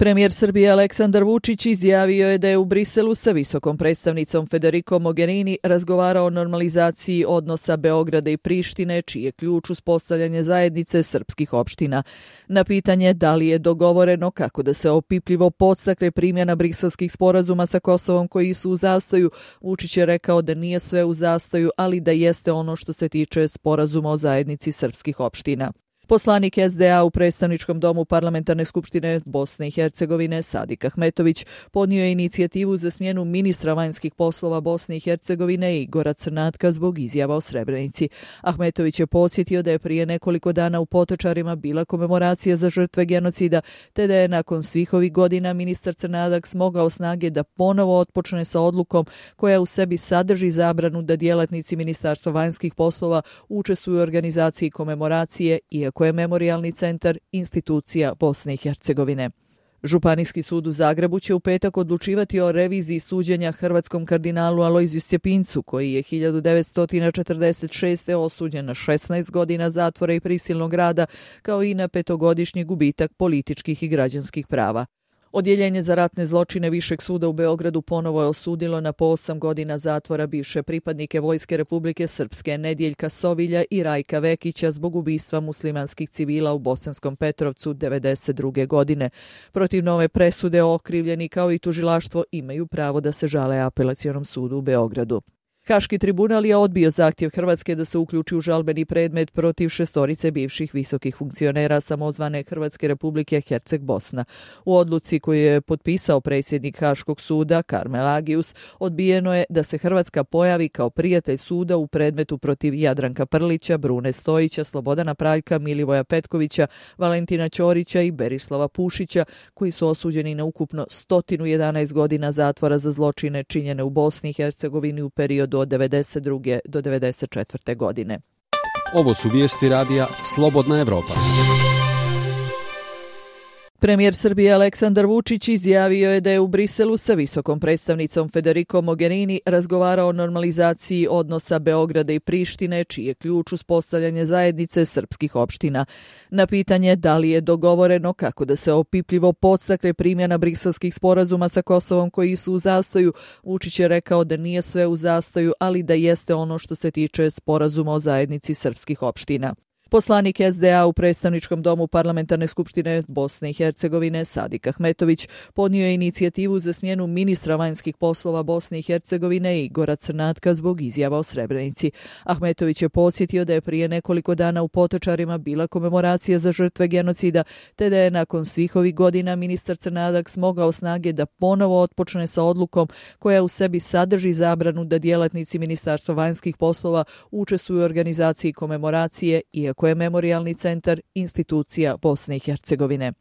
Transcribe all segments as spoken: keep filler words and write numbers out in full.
Premijer Srbije Aleksandar Vučić izjavio je da je u Briselu sa visokom predstavnicom Federico Mogherini razgovarao o normalizaciji odnosa Beograda i Prištine, čiji je ključ uspostavljanje zajednice srpskih opština. Na pitanje da li je dogovoreno kako da se opipljivo podstakne primjena briselskih sporazuma sa Kosovom koji su u zastoju, Vučić je rekao da nije sve u zastoju, ali da jeste ono što se tiče sporazuma o zajednici srpskih opština. Poslanik es de a u predstavničkom domu Parlamentarne skupštine Bosne i Hercegovine Sadik Ahmetović podnio je inicijativu za smjenu ministra vanjskih poslova Bosne i Hercegovine Igora Crnatka zbog izjava o Srebrenici. Ahmetović je podsjetio da je prije nekoliko dana u Potočarima bila komemoracija za žrtve genocida, te da je nakon svih ovih godina ministar Crnadak smogao snage da ponovo otpočne sa odlukom koja u sebi sadrži zabranu da djelatnici Ministarstva vanjskih poslova učestvuju u organizaciji komemoracije, iako je Memorijalni centar institucija Bosne i Hercegovine. Županijski sud u Zagrebu će u petak odlučivati o reviziji suđenja hrvatskom kardinalu Alojziju Stjepincu, koji je hiljadu devetsto četrdeset šeste. osuđen na šesnaest godina zatvora i prisilnog rada, kao i na petogodišnji gubitak političkih i građanskih prava. Odjeljenje za ratne zločine Višeg suda u Beogradu ponovo je osudilo na po osam godina zatvora bivše pripadnike Vojske Republike Srpske Nedjeljka Sovilja i Rajka Vekića zbog ubistva muslimanskih civila u Bosanskom Petrovcu devedeset druge. godine. Protiv nove presude okrivljeni kao i tužilaštvo imaju pravo da se žale Apelacionom sudu u Beogradu. Haški tribunal je odbio zahtjev Hrvatske da se uključi u žalbeni predmet protiv šestorice bivših visokih funkcionera samozvane Hrvatske Republike Herceg Bosna. U odluci koju je potpisao predsjednik Haškog suda Karmel Agius odbijeno je da se Hrvatska pojavi kao prijatelj suda u predmetu protiv Jadranka Prlića, Brune Stojića, Slobodana Praljka, Milivoja Petkovića, Valentina Ćorića i Berislava Pušića, koji su osuđeni na ukupno sto jedanaest godina zatvora za zločine činjene u Bosni i Hercegovini u periodu od devedeset druge. do devedeset četvrte. godine. Ovo su vijesti radija Slobodna Evropa. Premijer Srbije Aleksandar Vučić izjavio je da je u Briselu sa visokom predstavnicom Federico Mogherini razgovarao o normalizaciji odnosa Beograda i Prištine, čiji je ključ uspostavljanje zajednice srpskih opština. Na pitanje da li je dogovoreno kako da se opipljivo podstakne primjena briselskih sporazuma sa Kosovom koji su u zastoju, Vučić je rekao da nije sve u zastoju, ali da jeste ono što se tiče sporazuma o zajednici srpskih opština. Poslanik es de a u predstavničkom domu Parlamentarne skupštine Bosne i Hercegovine Sadik Ahmetović podnio je inicijativu za smjenu ministra vanjskih poslova Bosne i Hercegovine Igora Crnatka zbog izjava o Srebrenici. Ahmetović je podsjetio da je prije nekoliko dana u Potočarima bila komemoracija za žrtve genocida, te da je nakon svih ovih godina ministar Crnadak smogao snage da ponovo otpočne sa odlukom koja u sebi sadrži zabranu da djelatnici Ministarstva vanjskih poslova učestvuju u organizaciji komemoracije, iako je Memorijalni centar institucija Bosne i Hercegovine.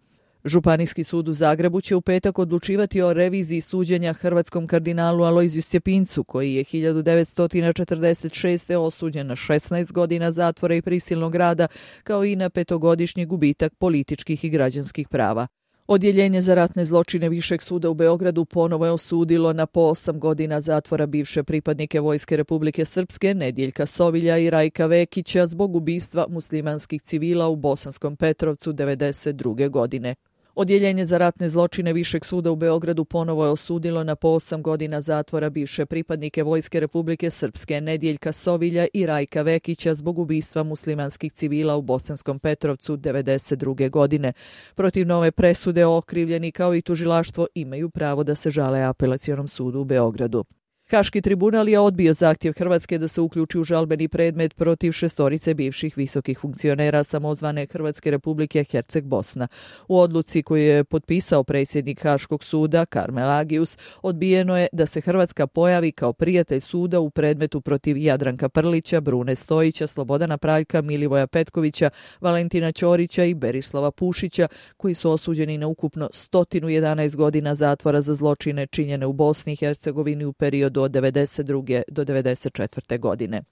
Županijski sud u Zagrebu će u petak odlučivati o reviziji suđenja hrvatskom kardinalu Alojziju Stjepincu, koji je hiljadu devetsto četrdeset šeste. osuđen na šesnaest godina zatvora i prisilnog rada, kao i na petogodišnji gubitak političkih i građanskih prava. Odjeljenje za ratne zločine Višeg suda u Beogradu ponovo je osudilo na po osam godina zatvora bivše pripadnike Vojske Republike Srpske Nedjeljka Sovilja i Rajka Vekića zbog ubistva muslimanskih civila u Bosanskom Petrovcu devedeset druge. godine. Odjeljenje za ratne zločine Višeg suda u Beogradu ponovo je osudilo na po osam godina zatvora bivše pripadnike Vojske Republike Srpske Nedjeljka Sovilja i Rajka Vekića zbog ubistva muslimanskih civila u Bosanskom Petrovcu devedeset druge. godine. Protiv nove presude okrivljeni kao i tužilaštvo imaju pravo da se žale Apelacionom sudu u Beogradu. Haški tribunal je odbio zahtjev Hrvatske da se uključi u žalbeni predmet protiv šestorice bivših visokih funkcionera samozvane Hrvatske Republike Herceg Bosna. U odluci koju je potpisao predsjednik Haškog suda Karmel Agius odbijeno je da se Hrvatska pojavi kao prijatelj suda u predmetu protiv Jadranka Prlića, Brune Stojića, Slobodana Praljka, Milivoja Petkovića, Valentina Ćorića i Berislava Pušića, koji su osuđeni na ukupno sto jedanaest godina zatvora za zločine činjene u Bosni i Hercegovini u periodu od devedeset druge. do devedeset četvrte. godine.